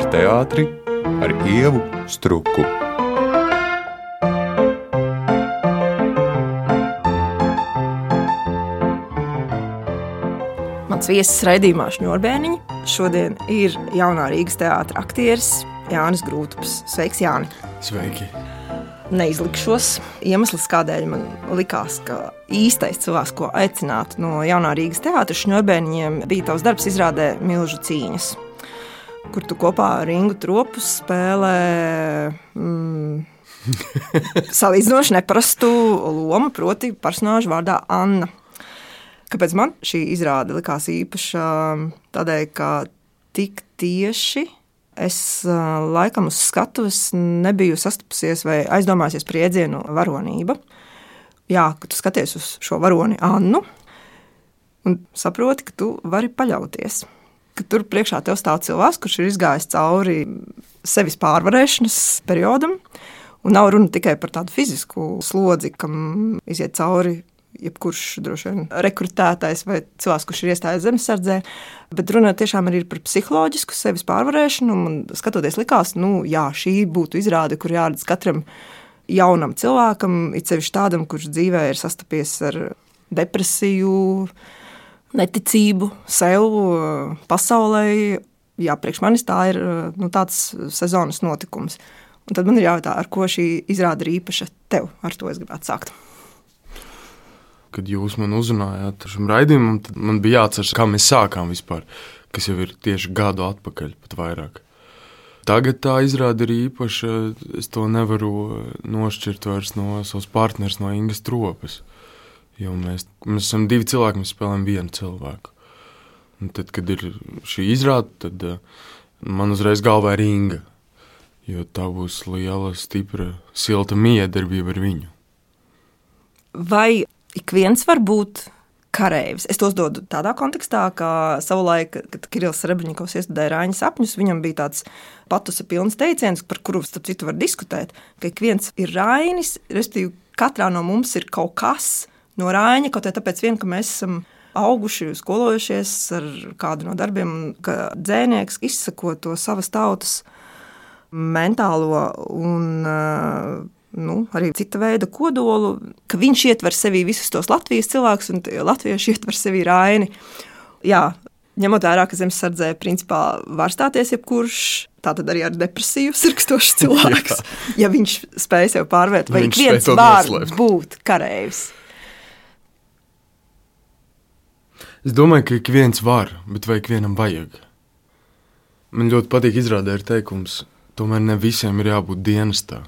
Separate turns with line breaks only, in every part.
par teātri ar Ievu Struku.
Mans viesis raidījumā Šņurbēniņi šodien ir jaunā Rīgas teātra aktieris Jānis Grūtups. Sveiks, Jāni!
Sveiki!
Neizlikšos. Iemesls, kādēļ man likās, ka īstais cilvēks, ko aicināt no jaunā Rīgas teātra Šņurbēniņiem, bija tavs darbs izrādē Milžu cīņas, kur tu kopā ar Ingu Tropus spēlē salīdzinoši neparastu lomu, proti personāžu vārdā Anna. Kāpēc man šī izrāde likās īpaša? Tādēļ, ka tik tieši es laikam uz skatuves nebiju sastapusies vai aizdomājusies par iedzienu varonība. Jā, ka tu skaties uz šo varoni Annu un saproti, ka tu vari paļauties. Ka tur priekšā tev stāv cilvēks, kurš ir izgājis cauri sevis pārvarēšanas periodam, un nav runa tikai par tādu fizisku slodzi, kam iziet cauri jebkurš droši vien rekrutētais vai cilvēks, kurš ir iestājies zemesardzē, bet runa tiešām arī ir par psiholoģisku sevis pārvarēšanu, un skatoties likās, jā, šī būtu izrāde, kur jāredz katram jaunam cilvēkam, it sevišķi tādam, kurš dzīvē ir sastapies ar depresiju, neticību sev, pasaulē. Jā, priekš manis tā ir tāds sezonas notikums. Un tad man ir jājautā, ar ko šī izrāde ir īpaša tev, ar to es gribētu sākt.
Kad jūs man uzrunājāt ar šim raidījumam, tad man bija jāatceras, kā mēs sākām vispār, kas jau ir tieši gadu atpakaļ, pat vairāk. Tagad tā izrāde ir īpaša, es to nevaru nošķirt vairs no savas partneres, no Ingas Tropas. Jo mēs esam divi cilvēki, mēs spēlējam vienu cilvēku. Un tad, kad ir šī izrāde, tad man uzreiz galvā ir Inga, jo tā būs liela, stipra, silta miedarbība ar viņu.
Vai ik viens var būt kareivis? Es tos dodu tādā kontekstā, ka savulaik, kad Kirillis Srebreņikovs iestudēja Raiņa sapņus, viņam bija tāds patusa pilns teiciens, par kuru starp citu var diskutēt, ka ik viens ir Rainis, respektīvi katrā no mums ir kaut kas no Raiņa, kaut tāpēc vien, ka mēs esam auguši, skolojušies ar kādu no darbiem, ka dzēnieks izsako to savas tautas mentālo un arī cita veida kodolu, ka viņš ietver sevī visus tos Latvijas cilvēkus un latvieši ietver sevī Raini. Jā, ņemot vērā, ka zemesardzē principā var stāties jebkurš, tātad arī ar depresiju sirkstošs cilvēks, ja viņš spēj sev pārvērt, vai ik viens var būt kareivis.
Es domāju, ka ik viens var, bet vai ik vienam vajag. Man ļoti patīk izrādē ir teikums, tomēr ne visiem ir jābūt dienestā.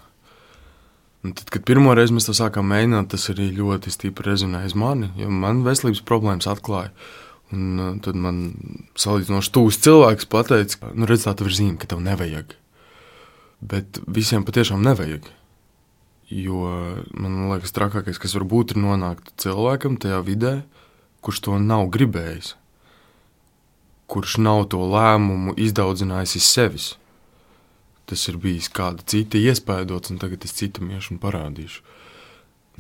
Un tad, kad pirmo reizi mēs to sākām mēģināt, tas arī ļoti stipri rezonēja uz mani, jo man veselības problēmas atklāja. Un tad man salīdzinoši tūs cilvēks pateica, redz, tā tev ir zīme, ka tev nevajag. Bet visiem patiešām nevajag. Jo man liekas, trakākais, kas var būt, ir nonākt cilvēkam tajā vidē, kurš to nav gribējis. Kurš nav to lēmumu izdaudzinājusi sevis. Tas ir bijis kāda cita iespaidots, un tagad es citam iešu un parādīšu.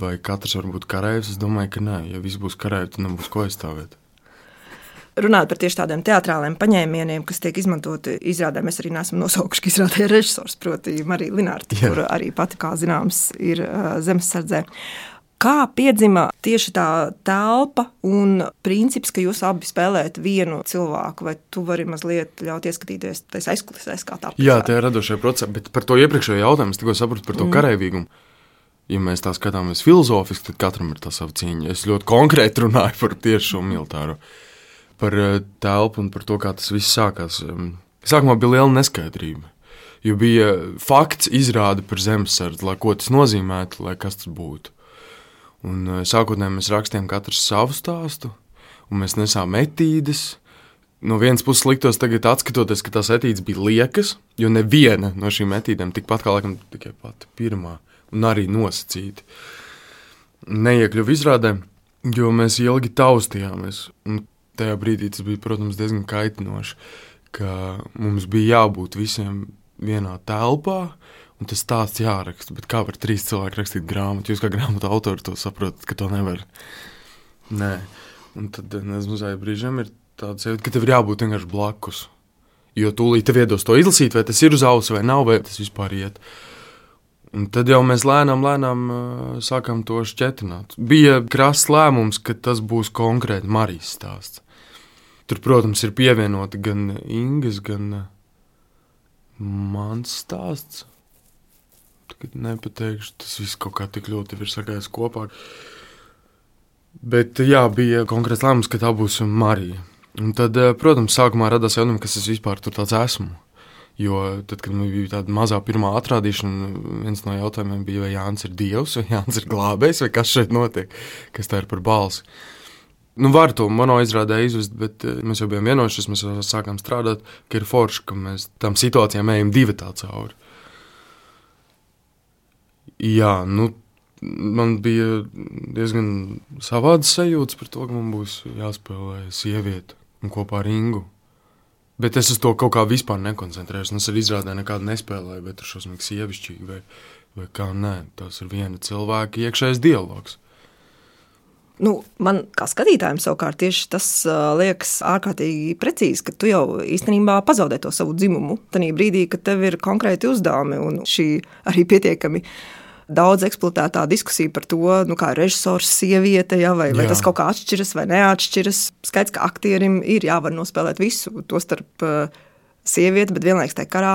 Vai katrs var būt kareivis? Es domāju, ka nē. Ja viss būs kareivi, tad nebūs ko aizstāvēt.
Runāt par tieši tādiem teatrāliem paņēmieniem, kas tiek izmantoti izrādē, mēs arī neesam nosaukuši, ka izrādē režisors, proti Marija Linārta, kur arī pati, kā zināms, ir zemesardzē. Kā piedzima tieši tā telpa un princips, ka jūs abi spēlējat vienu cilvēku, vai tu vari mazliet ļaut ieskatīties tais aizkulisēs, kā tā?
Jā, tā ir radošajā procesā, bet par to iepriekšējo jautājumu es tikko sapratu par to kareivīgumu. Ja mēs tā skatāmies filozofiski, tad katram ir tā sava cīņa. Es ļoti konkrēti runāju par tieši šo militāro, par telpu un par to, kā tas viss sākās. Sākumā bija liela neskaidrība, jo bija fakts izrāde par zemesardzi, lai ko tas nozīmētu, lai kas tas būtu. Un sākotnēji mēs rakstījām katrs savu stāstu, un mēs nesām etīdes. No vienas puses liktos tagad atskatoties, ka tās etīdes bija liekas, jo neviena no šīm etīdēm tikpat kā laikam tikai pati pirmā, un arī nosacīti. Neiekļuva izrādē, jo mēs ilgi taustījāmies, un tajā brīdī tas bija, protams, diezgan kaitinoši, ka mums bija jābūt visiem vienā telpā, un tas stāsts jāraksta, bet kā var 3 cilvēki rakstīt grāmatu? Jūs kā grāmatu autori to saprotat, ka to nevar. Nē. Un tad mazai brīžiem ir tāds, ka tev ir jābūt vienkārši blakus. Jo tūlīt tev iedos to izlasīt, vai tas ir uz auss vai nav, vai tas vispār iet. Un tad jau mēs lēnām sākām to šķetināt. Bija krass lēmums, ka tas būs konkrēti Marijas stāsts. Tur, protams, ir pievienoti gan Ingas, gan mans stāsts. Tagad nepateikšu, tas viss kaut kā tik ļoti ir sagājis kopā. Bet jā, bija konkrēts lēmums, ka tā būs Marija. Un tad, protams, sākumā radās jautājums, kas es vispār tur tāds esmu. Jo tad, kad man bija tāda mazā pirmā atrādīšana, viens no jautājumiem bija, vai Jānis ir Dievs, vai Jānis ir glābējs, vai kas šeit notiek, kas tā ir par balsi. Var to mono izrādē izvest, bet mēs jau bijām vienojušies, mēs jau sākām strādāt, ka ir forši, ka mēs tam situācijām ejam divatā cauri. Jā, man bija diezgan savādas sajūtas par to, ka man būs jāspēlē sieviete un kopā ar Ingu. Bet es uz to kaut kā vispār nekoncentrējos. Es arī izrādē nekādu nespēlēju, vai tur šausmīgi sievišķīgi, vai kā nē. Tas ir viena cilvēka iekšējais dialogs.
Man kā skatītājiem savukārt tieši tas liekas ārkārtīgi precīzi, ka tu jau īstenībā pazaudē to savu dzimumu. Tanī brīdī, kad tev ir konkrēti uzdevumi un šī arī pietiekami daudz eksploatētā diskusija par to, kā režisors sieviete, vai tas kaut kā atšķiras vai neatšķiras. Skaidrs, ka aktierim ir jāvar nospēlēt visu, to starp sievieti, bet vienlaiks tajā karā,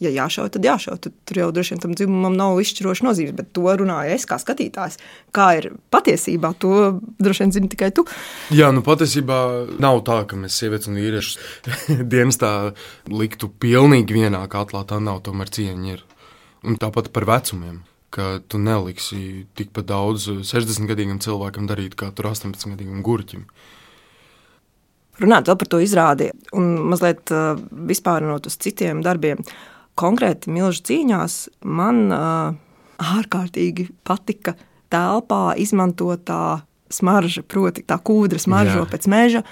ja jāšauj, tad jāšauj. Tur jau droši vien tam dzimumam nav izšķiroša nozīmes, bet to runāju es kā skatītājs. Kā ir patiesībā, to droši vien zini tikai tu.
Jā, patiesībā nav tā, ka mēs sievietes un vīriešus dienestā liktu pilnīgi vienā katlā, tā nav, tomēr cieņa ir. Un tāpat par vecumiem, ka tu neliksi tikpat daudz 60-gadīgam cilvēkam darīt, kā tur 18-gadīgam gurķim.
Runāt vēl par to izrādi un mazliet vispārinot uz citiem darbiem. Konkrēti Milžu cīņās man ārkārtīgi patika telpā izmantotā smarža, proti tā kūdra smaržo pēc meža,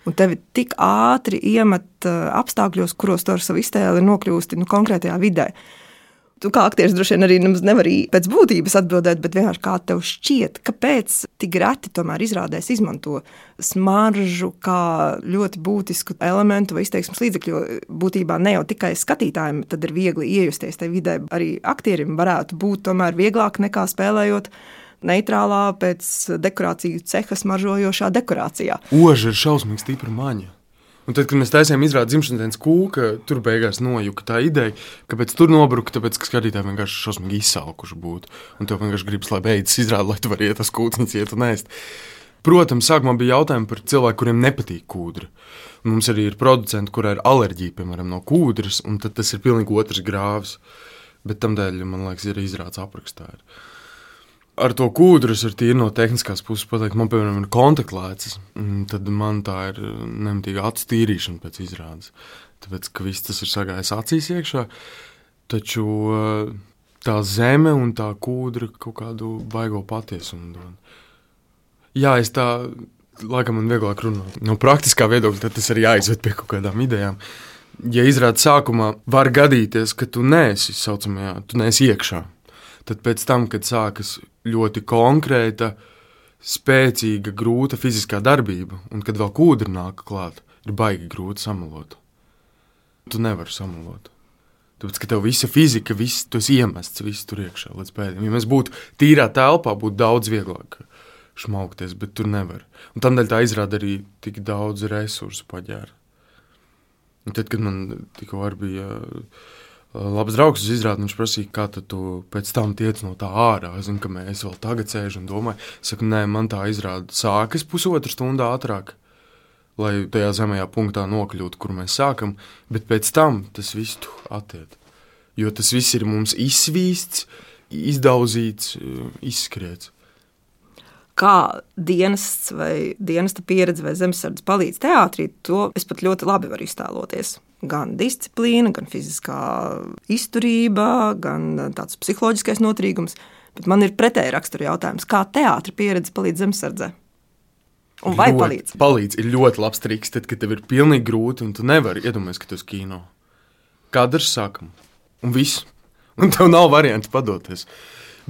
un tevi tik ātri iemet apstākļos, kuros tu ar savu iztēli nokļūsti konkrētajā vidē. Tu kā aktieris droši vien arī nevari pēc būtības atbildēt, bet vienkārši kā tev šķiet, kāpēc tik reti tomēr izrādēs izmanto smaržu kā ļoti būtisku elementu vai izteiksmes līdzekļu, jo būtībā ne jau tikai skatītājiem tad ir viegli iejusties tajā vidē, arī aktierim varētu būt tomēr vieglāk nekā spēlējot neitrālā pēc dekorāciju ceha smaržojošā dekorācijā.
Oža ir šausmīgi stipra maņa. Un tad, kad mēs taisījām izrādi dzimšanas dienas kūka, tur beigās nojuka tā ideja, kāpēc tur nobruka, tāpēc, ka skatītāji vienkārši šausmīgi izsalkuši būtu. Un tev vienkārši gribas, lai beidzas izrādi, lai tu vari iet tas kūciņas, iet un ēst. Protams, sākumā bija jautājumi par cilvēku, kuriem nepatīk kūdra. Un mums arī ir producenti, kurā ir alerģija, piemēram, no kūdras, un tad tas ir pilnīgi otrs grāvs. Bet tamdēļ, man liekas, ir izrāds aprakstā. Ar to kūdru es tīri no tehniskās puses pateikt, man, piemēram, ir kontaktlēcis, tad man tā ir nemitīga acu tīrīšana pēc izrādes. Tāpēc, ka viss tas ir sagājis acīs iekšā, taču tā zeme un tā kūdra kaut kādu baigo patiesumu dod. Jā, es tā, laikam man vieglāk runāt. No praktiskā viedokļa tad tas arī jāizved pie kaut kādām idejām. Ja izrādes sākumā var gadīties, ka tu neesi saucamajā, tu neesi iekšā, tad pēc tam, kad sākas ļoti konkrēta, spēcīga, grūta fiziskā darbība, un kad vēl kūdra nāk klāt, ir baigi grūti samalot. Tu nevari samalot. Tāpēc, ka tev visa fizika, viss, tu esi iemests, viss tur iekšā līdz pēdējiem. Ja mēs būtu tīrā telpā, būtu daudz vieglāk šmaukties, bet tur nevar. Un tādēļ tā izrāda arī tik daudz resursu paģēra. Un tad, kad man tikko arī bija labs draugs uz izrādi, viņš prasīja, kā tad tu pēc tam tiec no tā ārā. Es zinu, ka mēs vēl tagad sēžu un domāju. Saku, nē, man tā izrāda sākas 1,5 stundu ātrāk, lai tajā zemajā punktā nokļūtu, kur mēs sākam, bet pēc tam tas viss attiet. Jo tas viss ir mums izsvīsts, izdauzīts, izskriets.
Kā dienests vai dienesta pieredze vai zemesardzes palīdz teātrī, to es pat ļoti labi varu iztēloties. Gan disciplīna, gan fiziskā izturība, gan tāds psiholoģiskais noturīgums. Bet man ir pretēji rakstura jautājums, kā teātra pieredze palīdz zemesardzē? Un vai palīdz?
Palīdz ir ļoti labs triks, tad, kad tev ir pilnīgi grūti un tu nevari iedomāties, ka tu esi kino. Kadrs sākam. Un viss. Un tev nav varianti padoties.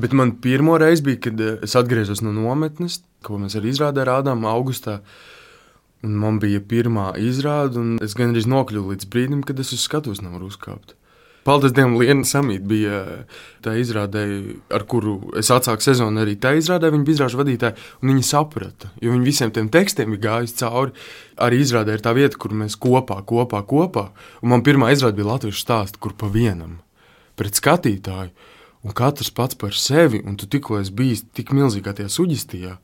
Bet man pirmo reizi bija, kad es atgriezos no nometnes, ko mēs arī izrādē rādām augustā. Un man bija pirmā izrāde, un es gandrīz nokļuvu līdz brīdim, kad es uz skatuves nevaru uzkāpt. Paldies Dievam, Liena Samīta bija tā izrādē, ar kuru es atsāku sezonu arī tā izrādē. Viņa bija izrāžu vadītāja, un viņa saprata, jo viņa visiem tiem tekstiem bija gājusi cauri. Arī izrādē ir tā vieta, kur mēs kopā. Un man pirmā izrāde bija latviešu stāsts, kur pa vienam pret skatītāju, un katrs pats par sevi, un tu tikko esi bijis tik milzīgā tajā suģistijā.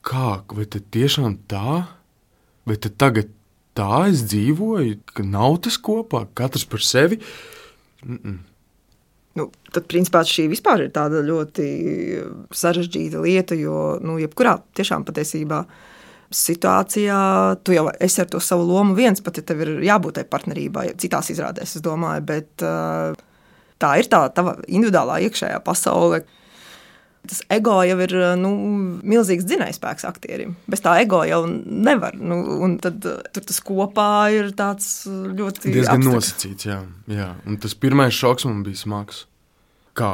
Kā, vai tad tiešām tā? Vai tad tagad tā es dzīvoju, ka nav tas kopā, katrs par sevi?
Tad, principā, šī vispār ir tāda ļoti sarežģīta lieta, jo, jebkurā tiešām patiesībā situācijā tu jau esi ar to savu lomu viens, pat ja tev ir jābūt tai partnerībai, citās izrādēs, es domāju, bet tā ir tā tava individuālā iekšējā pasaule. Tas ego jau ir milzīgs dzinējspēks aktierim. Bez tā ego jau nevar. Un tad tur tas kopā ir tāds ļoti
diezgan nosacīts, jā. Un tas pirmais šoks man bija smags. Kā?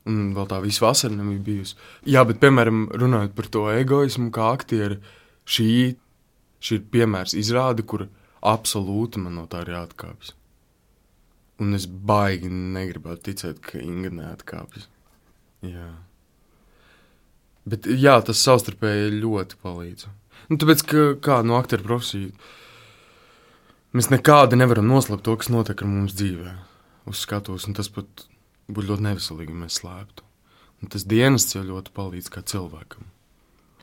Un vēl tā visa vasara nebija bijusi. Jā, bet, piemēram, runājot par to egoismu kā aktieri, šī ir piemērs izrāde, kur absolūti man no tā ir jāatkāpjas. Un es baigi negribētu ticēt, ka Inga neatkāpjas. Jā. Bet jā, tas savstarpēji ļoti palīdz. Tāpēc, ka no aktieru profesiju mēs nekādi nevaram noslēpt to, kas notiek ar mums dzīvē uz skatuves, un tas pat būtu ļoti neveselīgi, ja mēs slēptu. Un tas dienests jau ļoti palīdz kā cilvēkam.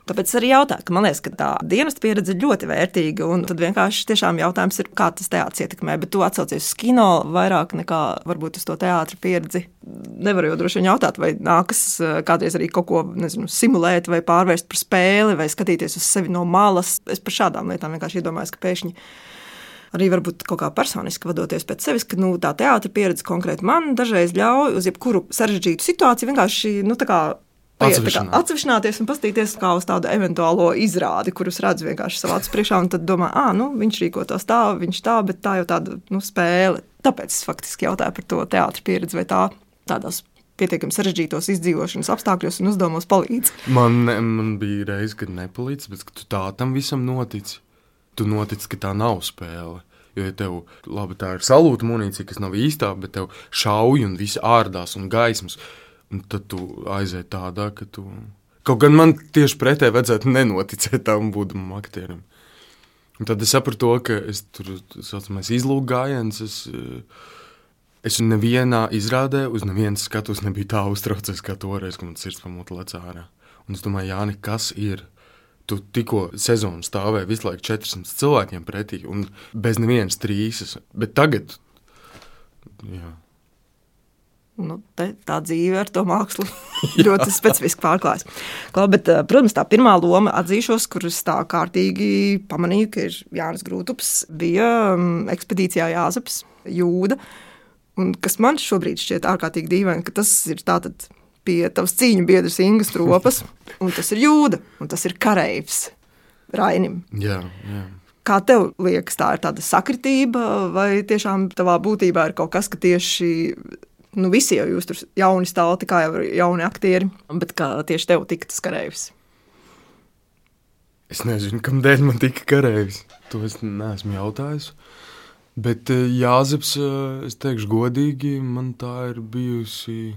Tāpēc es arī jautāju, ka man liekas, ka tā dienesta pieredze ir ļoti vērtīga, un tad vienkārši tiešām jautājums ir, kā tas teātris ietekmē, bet tu atsaucies uz kino vairāk nekā varbūt uz to teātra pieredzi. Nevaru jau droši vien jautāt, vai nākas kādreiz arī kaut ko, simulēt vai pārvērst par spēli, vai skatīties uz sevi no malas. Es par šādām lietām vienkārši iedomājos, ka pēkšņi arī varbūt kaut kā personiski vadoties pēc sevis, ka tā teātra pieredze konkrēti man dažreiz ļauj uz jebkuru sarežģītu situāciju vienkārši, tā kā atsevišķināties un paskatīties kā uz tādu eventuālo izrādi, kurus redzu vienkārši savā acu priekšā, un tad domā, viņš rīkotos tā, viņš tā, bet tā jau tāda spēle. Tāpēc es faktiski jautāju par to teātra pieredzi, vai tā tādās pietiekami sarežģītos izdzīvošanas apstākļos un uzdevumos palīdz.
Man bija reize, kad nepalīdz, bet tu tā tam visam notici. Tu notici, ka tā nav spēle. Jo, ja tev, labi, tā ir salūta munīcija, kas nav īstā, bet tev šauj un visi ārdās un gaismas, un tad tu aizēji tādā, ka tu... Kaut gan man tieši pretēji vajadzētu nenoticēt tam būdamam aktierim. Un tad es sapratu to, ka es tur, saucamais izlūk gājiens, es nevienā izrādē uz nevienas skatus nebija tā uztraucies kā toreiz, ka man sirds pamota lec ārā. Un es domāju, Jāni, kas ir? Tu tikko sezonu stāvēji visu laiku 400 cilvēkiem pretī un bez nevienas trīsas, bet tagad, jā.
Tā dzīve ar to mākslu ļoti specifiski pārklājas. Bet, protams, tā pirmā loma atzīšos, kuras tā kārtīgi pamanīju, ka ir Jānis Grūtups, bija ekspedīcijā Jāzeps, Jūda, un kas man šobrīd šķiet ārkārtīgi dīvaini, ka tas ir tātad pie tavas cīņu biedras Ingas Tropas, un tas ir Jūda, un tas ir kareivs Rainim.
Jā.
Kā tev liekas, tā ir tāda sakritība, vai tiešām tavā būtībā ir kaut kas, ka tieši... visi jau jūs tur jauni stālti, kā jau jauni aktieri, bet kā tieši tev tika tas kareivs?
Es nezinu, kamdēļ man tika kareivs. To es neesmu jautājis. Bet Jāzeps, es teikšu godīgi, man tā ir bijusi,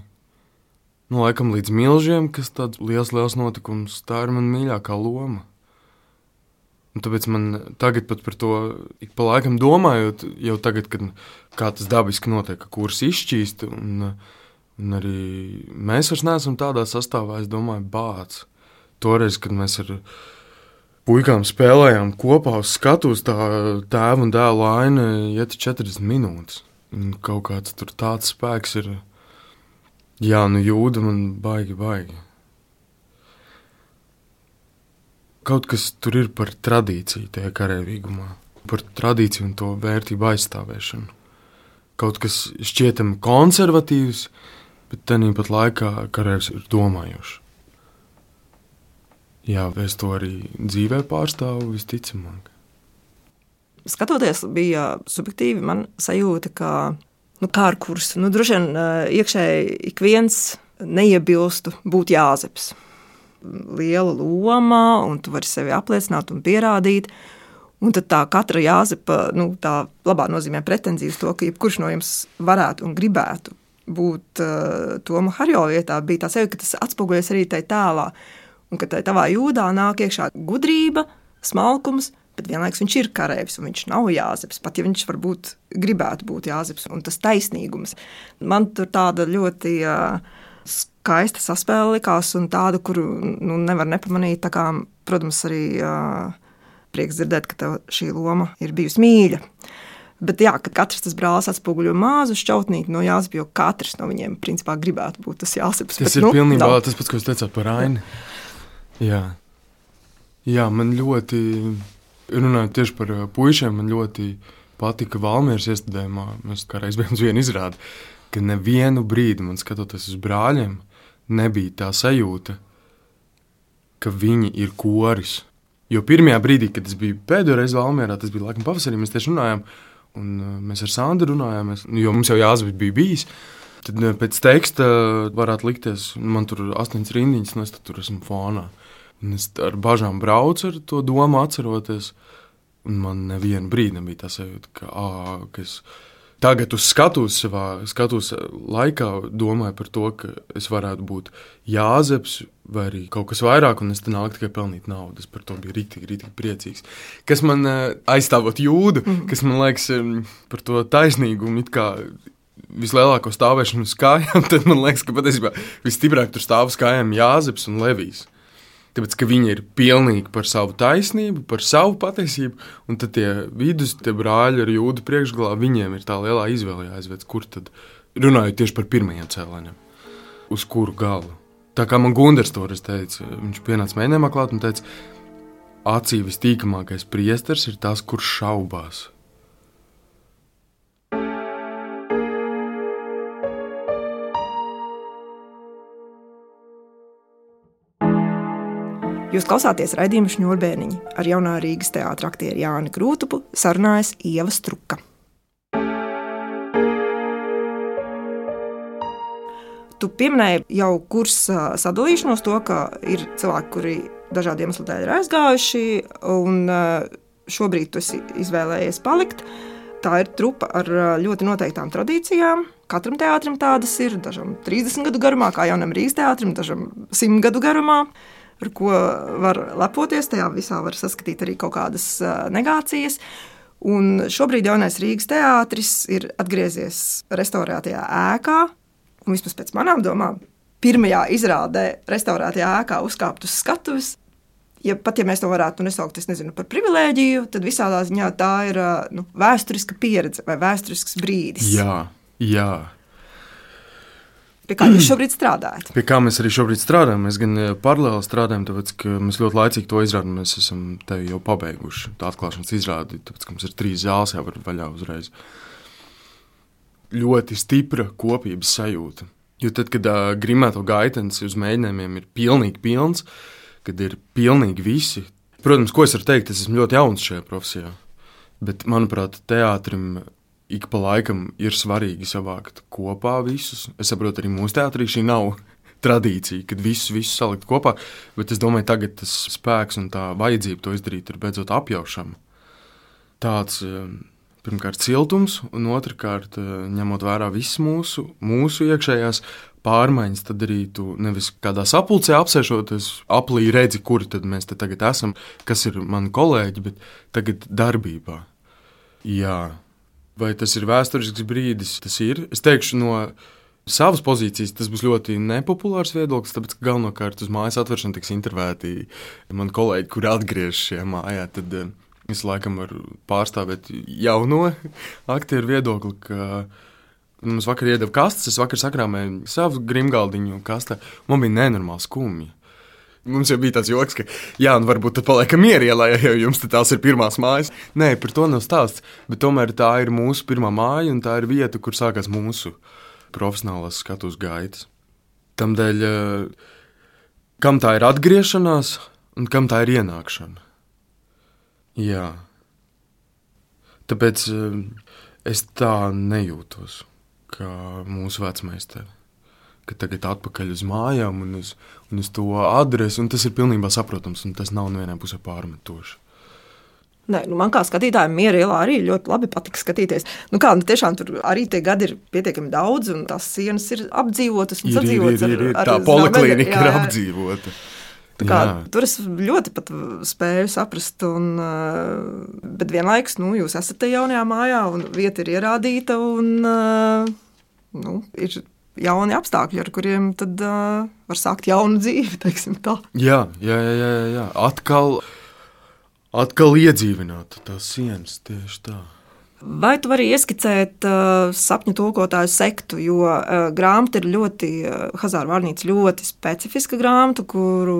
laikam līdz Milžiem, kas tāds liels notikums, tā ir man mīļākā loma. Un tāpēc man tagad pat par to ik pa laikam domājot, jau tagad, kad kā tas dabiski notiek, ka kurs izšķīst, un arī mēs vairs neesam tādā sastāvā, es domāju, bāc. Toreiz, kad mēs ar puikām spēlējām kopā uz skatuves, tā tēva un dēla aina iet 40 minūtes. Un kaut kāds tur tāds spēks ir, Jūda man baigi. Kaut kas tur ir par tradīciju tajā kareivīgumā, par tradīciju un to vērtību aizstāvēšanu. Kaut kas šķietami konservatīvs, bet tāpat laikā kareivs ir domājošs. Jā, es to arī dzīvē pārstāvu visticamāk.
Skatoties, bija subjektīvi man sajūta, ka kā ar kursu, droši vien iekšēji ik viens neiebilstu būt Jāzeps. liela loma, un tu vari sevi apliecināt un pierādīt. Un tad tā katra Jāzepa, tā labā nozīmē pretenzija uz to, ka jebkurš no jums varētu un gribētu būt Toma Harjo vietā, bija tā sevi, ka tas atspoguļojas arī tai tēlā. Un ka tai tavā jūdā nāk iekšā gudrība, smalkums, bet vienlaikus viņš ir kareivs, un viņš nav Jāzeps, pat ja viņš varbūt gribētu būt Jāzeps, un tas taisnīgums. Man tur tāda ļoti skaista saspēle likās, un tāda, kuru nevar nepamanīt, tā kā, protams, arī prieks dzirdēt, ka tev šī loma ir bijusi mīļa. Bet jā, ka katrs tas brālis atspoguļo mazu šķautnīti no Jāzepa, jo katrs no viņiem principā gribētu būt tas Jāzeps.
Tas ir pilnībā tas pats, ko es teicāt par Aini. Jā, man ļoti, runājot tieši par puišiem, man ļoti patika Valmieras iestudējumā. Mēs kādreiz bijām uz vienu izrādi, ka nevienu brīdi, man skatoties uz brāļiem, nebija tā sajūta, ka viņi ir koris. Jo pirmajā brīdī, kad es biju pēdējo reizi Valmierā, tas bija laikam pavasarī, mēs tieši runājām, un mēs ar Sandru runājām, jo mums jau Jāzeps bija bijis. Tad pēc teksta varētu likties, man tur 8 rindiņas, un es tur esmu fonā. Un es ar bažām braucu ar to domu atceroties, un man nevienu brīdi nebija tā sajūta, ka es tagad uz skatus laikā domāju par to, ka es varētu būt Jāzeps vai arī kaut kas vairāk, un es te nāku tikai pelnīt naudu. Es par to biju rītīgi priecīgs. Kas man aizstāvot jūdu, kas man liekas par to taisnīgumu, it kā vislielāko stāvēšanu uz kājām, tad man liekas, ka patiesībā visstiprāk tur stāv uz kājām Jāzeps un Levijs. Tāpēc, ka viņi ir pilnīgi par savu taisnību, par savu patiesību, un tad tie brāļi ar jūdu priekšgalā, viņiem ir tā lielā izvēle jāizved, kur tad, runājot tieši par pirmajiem cēlēņiem, uz kuru galu. Tā kā man Gunders toreiz teica, viņš pienāca mēģinājumā klāt un teica, acī vistīkamākais priesters ir tas, kurš šaubās.
Jūs klausāties raidījumu Šņurbēniņi. Ar jaunā Rīgas teātra aktieri Jāni Krūtupu sarunājas Ieva Struka. Tu pieminēji jau kursa sadalīšanos to, ka ir cilvēki, kuri dažādu iemeslu dēļ ir aizgājuši, un šobrīd tu esi izvēlējies palikt. Tā ir trupa ar ļoti noteiktām tradīcijām. Katram teātrim tādas ir, dažam 30 gadu garumā, kā jaunam Rīgas teātrim, dažam 100 gadu garumā, ar ko var lepoties. Tajā visā var saskatīt arī kaut kādas negācijas. Un šobrīd jaunais Rīgas teātris ir atgriezies restaurētajā ēkā, un vismaz pēc manām domām, pirmajā izrādē restaurētajā ēkā uzkāpt uz skatuves. Ja mēs to varētu nesaukt, es nezinu, par privilēģiju, tad visādā ziņā tā ir vēsturiska pieredze vai vēsturisks brīdis.
Jā.
Pie kā jūs šobrīd strādājat?
Pie kā mēs arī šobrīd strādājam. Mēs gan paralēli strādājam, tāpēc, ka mēs ļoti laicīgi to izrādi. Mēs esam tevi jau pabeiguši tā atklāšanas izrādi, tāpēc, ka mums ir 3 zāles jāvar vaļā uzreiz. Ļoti stipra kopības sajūta. Jo tad, kad Grimēto gaitenis uz mēģinājumiem ir pilnīgi pilns, kad ir pilnīgi visi. Protams, ko es varu teikt, es esmu ļoti jauns šajā profesijā, bet, manuprāt, teātrim ik pa laikam ir svarīgi savākt kopā visus. Es saprotu, arī mūsu teātrī šī nav tradīcija, kad visus salikt kopā, bet es domāju, tagad tas spēks un tā vajadzība to izdarīt ir beidzot apjaušama. Tāds, pirmkārt, siltums, un otrkārt, ņemot vērā visas mūsu iekšējās pārmaiņas, tad arī tu nevis kādā sapulcē apsēšoties, aplī redzi, kuri tad mēs te tagad esam, kas ir mani kolēģi, bet tagad darbībā. Jā. Vai tas ir vēsturisks brīdis? Tas ir. Es teikšu, no savas pozīcijas tas būs ļoti nepopulārs viedoklis, tāpēc, ka galvenokārt uz mājas atvēršanu tiks intervēti mani kolēģi, kuri atgriežas šajā mājā. Tad es laikam varu pārstāvēt jauno aktieru viedokli, ka mums vakar iedeva kastes, es vakar sakrāmēju savu grimgaldiņu kastē. Man bija nenormāli skumji. Mums jau bija tāds joks, ka varbūt tad paliekam mierielā, ja jums tās ir pirmās mājas. Nē, par to nav stāsts, bet tomēr tā ir mūsu pirmā māja, un tā ir vieta, kur sākās mūsu profesionālās skatuves gaitas. Tamdēļ, kam tā ir atgriešanās, un kam tā ir ienākšana. Jā. Tāpēc es tā nejūtos, kā mūsu vecmeistari, ka tagad atpakaļ uz mājām un uz to adresi, un tas ir pilnībā saprotams, un tas nav nevienā pusē pārmetoši.
Nē, man kā skatītājiem Miera ielā arī ļoti labi patika skatīties. Tiešām tur arī tie gadi ir pietiekami daudz, un tās sienas ir apdzīvotas un sadzīvotas.
Ir. Tā poliklīnika ir apdzīvota.
Tur es ļoti pat spēju saprast, bet vienlaikus jūs esat te jaunajā mājā, un vieta ir ierādīta, un ir jauni apstākļi, ar kuriem tad var sākt jaunu dzīvi, teiksim tā.
Jā. Atkal iedzīvināt tās sienas, tieši tā.
Vai tu vari ieskicēt sapņu tulkotāju sektu, jo grāmata ir ļoti, Hazāra vārnīca ļoti specifiska grāmata, kuru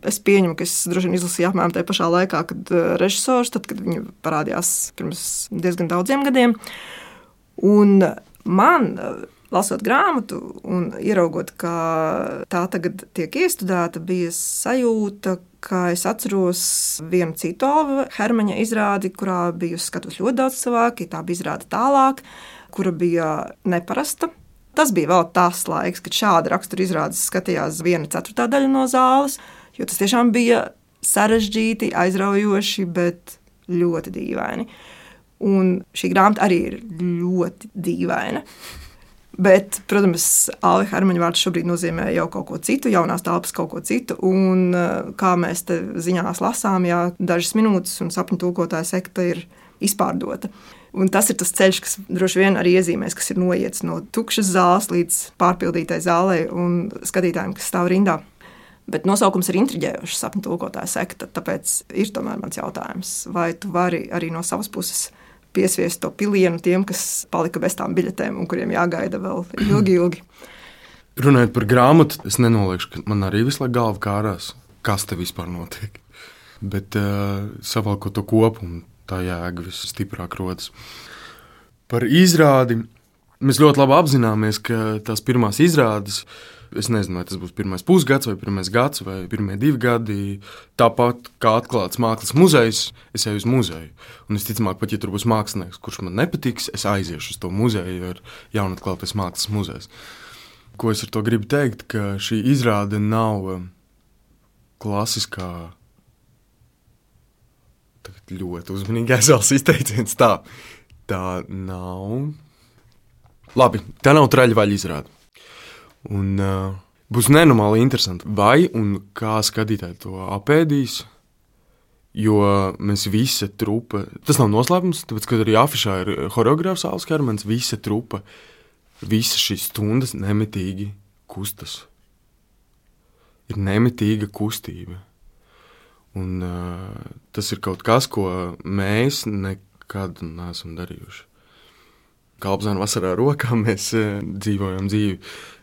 es pieņemu, ka es droši vien izlasīju apmēram tajā pašā laikā, kad režisors, tad, kad viņa parādījās pirms diezgan daudziem gadiem. Un man, lasot grāmatu un ieraugot, ka tā tagad tiek iestudēta, bija sajūta, ka es atceros vienu citu Alva Hermaņa izrādi, kurā bija skatos ļoti daudz cilvēku, tā bija izrāde Tālāk, kura bija neparasta. Tas bija vēl tas laiks, kad šāda rakstura izrādes skatījās 1/4 daļa no zāles, jo tas tiešām bija sarežģīti, aizraujoši, bet ļoti dīvaini. Un šī grāmata arī ir ļoti dīvaina. Bet, protams, Alva Hermaņa vārds šobrīd nozīmē jau kaut ko citu, jaunās telpas kaut ko citu. Un kā mēs te ziņās lasām, dažas minūtes un sapņu tulkotāja sekta ir izpārdota. Un tas ir tas ceļš, kas droši vien arī iezīmēs, kas ir noiets no tukšas zāles līdz pārpildītai zālei un skatītājiem, kas stāv rindā. Bet nosaukums ir intriģējošs, sapņu tulkotāja sekta, tāpēc ir tomēr mans jautājums, vai tu vari arī no savas puses piesviest to pilienu tiem, kas palika bez tām biļetēm un kuriem jāgaida vēl ilgi.
Runājot par grāmatu, es nenoliekšu, ka man arī visu laiku galva kārās, kas te vispār notiek. Bet savalkot to kopumu, tā jēga visstiprāk rodas. Par izrādi mēs ļoti labi apzināmies, ka tās pirmās izrādes, es nezinu, vai tas būs pirmais pusgads, vai pirmais gads, vai pirmie 2 gadi. Tāpat kā atklāts mākslas muzejs, es eju uz muzeju. Un es ticamāk, pat ja tur būs mākslinieks, kurš man nepatiks, es aiziešu uz to muzeju, jo ir jaunatklātais mākslas muzejs. Ko es ar to gribu teikt, ka šī izrāde nav klasiskā, tagad ļoti uzmanīgi aizvēlas izteiciens, tā nav. Labi, tā nav traļvaļa izrāde. Un būs nenormāli interesanti, vai un kā skatītāji to apēdīs, jo mēs visa trupa, tas nav noslēpums, tāpēc, kad arī afišā ir horeogrāfs Alvs Hermanis, visa trupa, visas šīs stundas nemitīgi kustas. Ir nemitīga kustība. Un tas ir kaut kas, ko mēs nekad neesam darījuši. Kalpzēna vasarā rokā mēs dzīvojam dzīvi.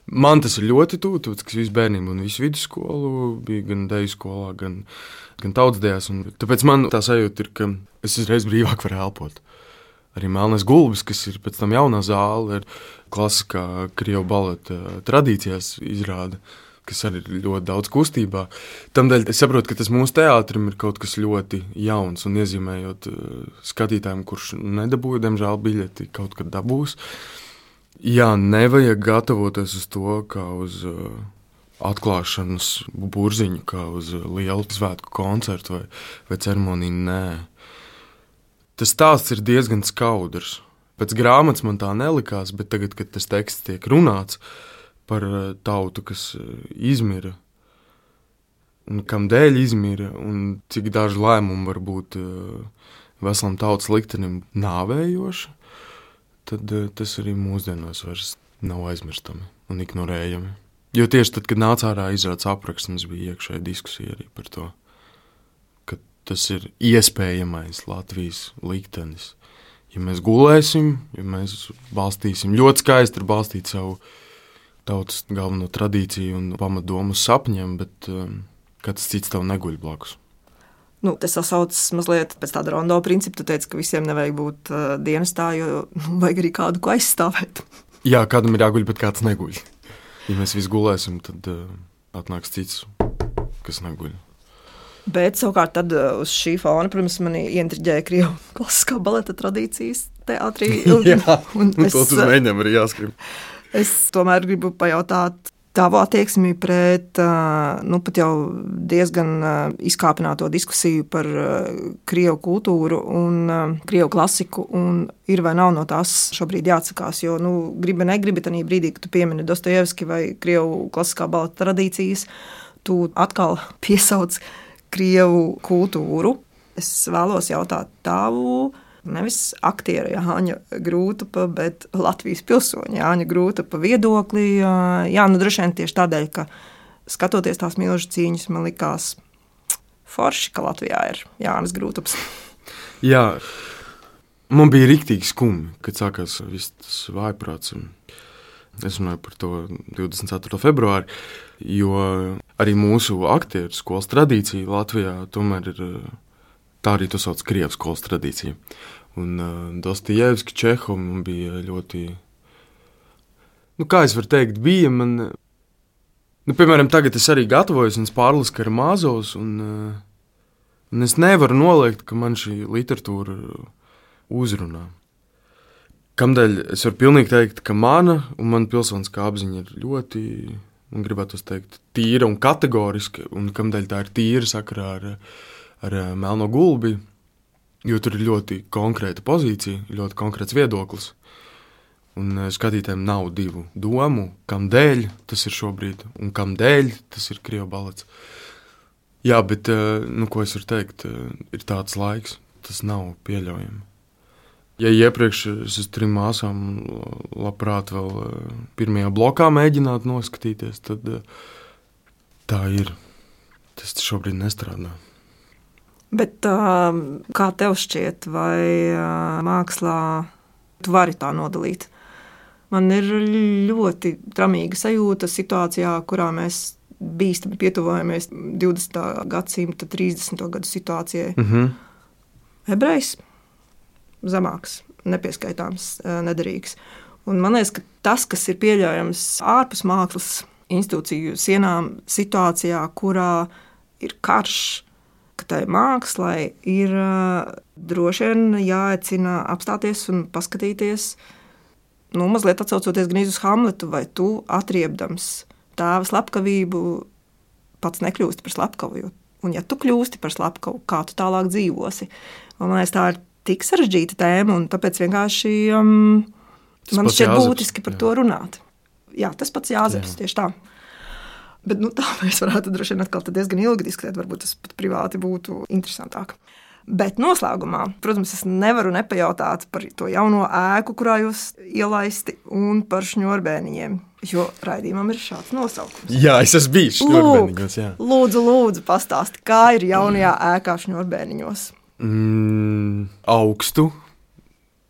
Man tas ir ļoti tuvu, tāpēc, ka visu bērnību un visu vidusskolu bija gan deju skolā, gan tautsdejās. Tāpēc man tā sajūta ir, ka es uzreiz brīvāk varu elpot. Arī Melnais gulbis, kas ir pēc tam jaunā zāle, ir klasiskā krievu baleta tradīcijās izrāda, kas arī ir ļoti daudz kustībā. Tamdēļ es saprotu, ka tas mūsu teātrim ir kaut kas ļoti jauns un iezīmējot skatītājiem, kurš nedabūja, diemžēl biļeti kaut kad dabūs. Jā, nevajag gatavoties uz to, kā uz atklāšanas burziņu, kā uz lielu svētku koncertu vai ceremoniju, nē. Tas stāsts ir diezgan skaudrs. Pēc grāmatas man tā nelikās, bet tagad, kad tas teksts tiek runāts par tautu, kas izmira, un kam dēļ izmira, un cik daži lēmumi var būt veselam tautas liktenim nāvējoši, tad tas arī mūsdienos vairs nav aizmirstami un ignorējami. Jo tieši tad, kad nāca ārā izrādes apraksts, mums bija iekšēja diskusija arī par to, ka tas ir iespējamais Latvijas liktenis. Ja mēs gulēsim, ja mēs balstīsim ļoti skaisti ir balstīt savu tautas galveno tradīciju un pamatdomu sapņiem, bet kāds cits tev neguļ blakus.
Tas sasaucas mazliet pēc tāda rondo principa. Tu teici, ka visiem nevajag būt dienestā, jo vajag arī kādu, ko aizstāvēt.
Jā, kādam ir jāguļ, bet kāds neguļ. Ja mēs visi gulēsim, tad atnāks cits, kas neguļ.
Bet savukārt tad uz šī fona, protams, mani ieintriģēja krievu klasiskā baleta tradīcijas teātrī.
Jā, un to tu mēģinām arī jāskrib.
Es tomēr gribu pajautāt tavu attieksmi pret pat jau diezgan izkāpināto diskusiju par krievu kultūru un krievu klasiku, un ir vai nav no tās šobrīd jāatsakās, jo, gribi negribi, tanī brīdī, kad tu piemini Dostojevski vai krievu klasiskā baleta tradīcijas, tu atkal piesauc krievu kultūru. Es vēlos jautāt tavu, nevis aktiera Jāņa Grūtapa, bet Latvijas pilsoņa Jāņa Grūtapa viedokli. Droši vien tieši tādēļ, ka skatoties tās milžu cīņas, man likās forši, ka Latvijā ir Jānis Grūtaps.
Jā, man bija riktīgi skumji, kad sākās viss tas vājprāts. Es runāju par to 24. februāri, jo arī mūsu aktieru skolas tradīcija Latvijā tomēr ir... Tā arī to sauc krievu skolas tradīcija. Un Dostojevski, Čehov man bija ļoti... kā es varu teikt, bija man... piemēram, tagad es arī gatavojos un pārlasu Karamazovs, un es nevaru noliegt, ka man šī literatūra uzrunā. Kamdēļ es varu pilnīgi teikt, ka mana un mana pilsoniskā apziņa ir ļoti, man gribētu teikt, tīra un kategoriska, un kamdēļ tā ir tīra sakarā ar Melno gulbi, jo tur ir ļoti konkrēta pozīcija, ļoti konkrēts viedoklis. Un skatītājiem nav divu domu, kam dēļ tas ir šobrīd, un kam dēļ tas ir krievu balets. Jā, bet, ko es varu teikt, ir tāds laiks, tas nav pieļaujami. Ja iepriekš es uz 3 māsām labprāt vēl pirmajā blokā mēģinātu noskatīties, tad tā ir. Tas šobrīd nestrādā.
Bet kā tev šķiet, vai mākslā tu vari tā nodalīt? Man ir ļoti tramīga sajūta situācijā, kurā mēs bīstami pietuvojamies 20. gadsimta 30. gadu situācijai. Ebrejs zemāks, nepieskaitāms, nederīgs. Un man liekas, ka tas, kas ir pieļaujams ārpus mākslas institūciju sienām situācijā, kurā ir karš, ka tai mākslai ir droši vien jāaicina apstāties un paskatīties, mazliet atsaucoties gan uz Hamletu, vai tu atriebdams tēva slepkavību pats nekļūsti par slepkavu. Un ja tu kļūsti par slepkavu, kā tu tālāk dzīvosi? Un man liekas, tā ir tik sarežģīta tēma, un tāpēc vienkārši man šķiet būtiski par to runāt. Jā, tas pats Jāzeps, tieši tā. Bet tā mēs varētu droši vien atkal diezgan ilgi diskutēt, varbūt tas pat privāti būtu interesantāk. Bet noslēgumā, protams, es nevaru nepajautāt par to jauno ēku, kurā jūs ielaisti, un par šņurbēniņiem, jo raidījumam ir šāds nosaukums.
Jā, es esmu bijis šņurbēniņos, jā.
Lūdzu, pastāsti, kā ir jaunajā ēkā šņurbēniņos?
Augstu.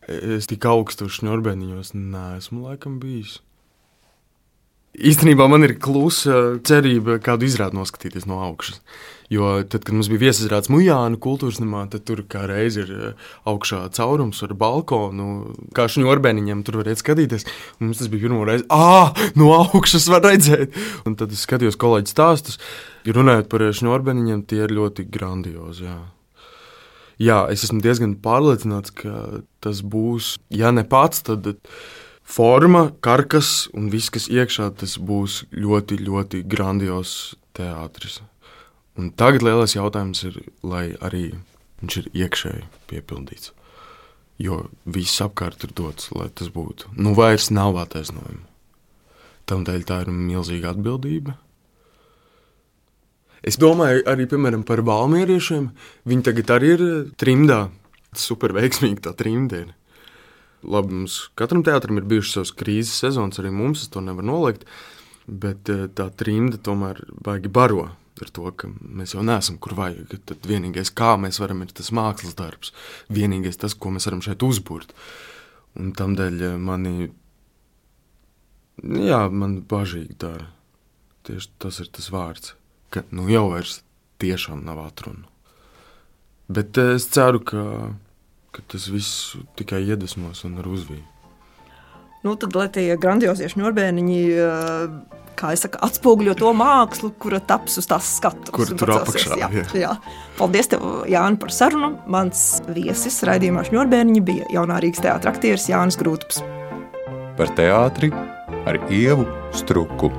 Es tik augstu šņurbēniņos neesmu laikam bijis. Īstenībā man ir klusa cerība kādu izrādi noskatīties no augšas. Jo tad, kad mums bija viesizrādes Mujānu kultūras namā, tad tur kā reiz ir augšā caurums ar balkonu, kā šņurbēniņiem tur var iet skatīties. Un mums tas bija pirmo reizi, no augšas var redzēt. Un tad es skatījos kolēģi stāstus, runājot par šņurbēniņiem, tie ir ļoti grandiozi, jā. Jā, es esmu diezgan pārliecināts, ka tas būs, ja ne pats, tad... Forma, karkas un viss, kas iekšā, tas būs ļoti, ļoti grandios teātris. Un tagad lielais jautājums ir, lai arī viņš ir iekšēji piepildīts. Jo viss apkārt ir dots, lai tas būtu. Vairs nav attaisnojuma. Tamdēļ tā ir milzīga atbildība. Es domāju arī, piemēram, par valmieriešiem. Viņi tagad arī ir trimdā. Super veiksmīgi tā trimda ir. Labi, mums katram teātrim ir bijušas savas krīzes sezonas, arī mums, es to nevaru noliegt, bet tā trimda tomēr baigi baro ar to, ka mēs jau neesam, kur vajag. Tad vienīgais, kā mēs varam, ir tas mākslas darbs. Vienīgais tas, ko mēs varam šeit uzburt. Un tamdēļ man bažīgi dara. Tieši tas ir tas vārds, ka jau vairs tiešām nav atrunu. Bet es ceru, ka tas viss tikai iedvesmos un ar uzviju.
Tad, lai tie grandiozie šņurbēniņi, kā es saku, atspoguļo to mākslu, kura taps uz tās skatuves.
Kur tur apakšā,
jā. Paldies tev, Jāni, par sarunu. Mans viesis raidījumā šņurbēniņi bija jaunā Rīgas teātra aktieris Jānis Grūtaps.
Par teātri ar Ievu Struku.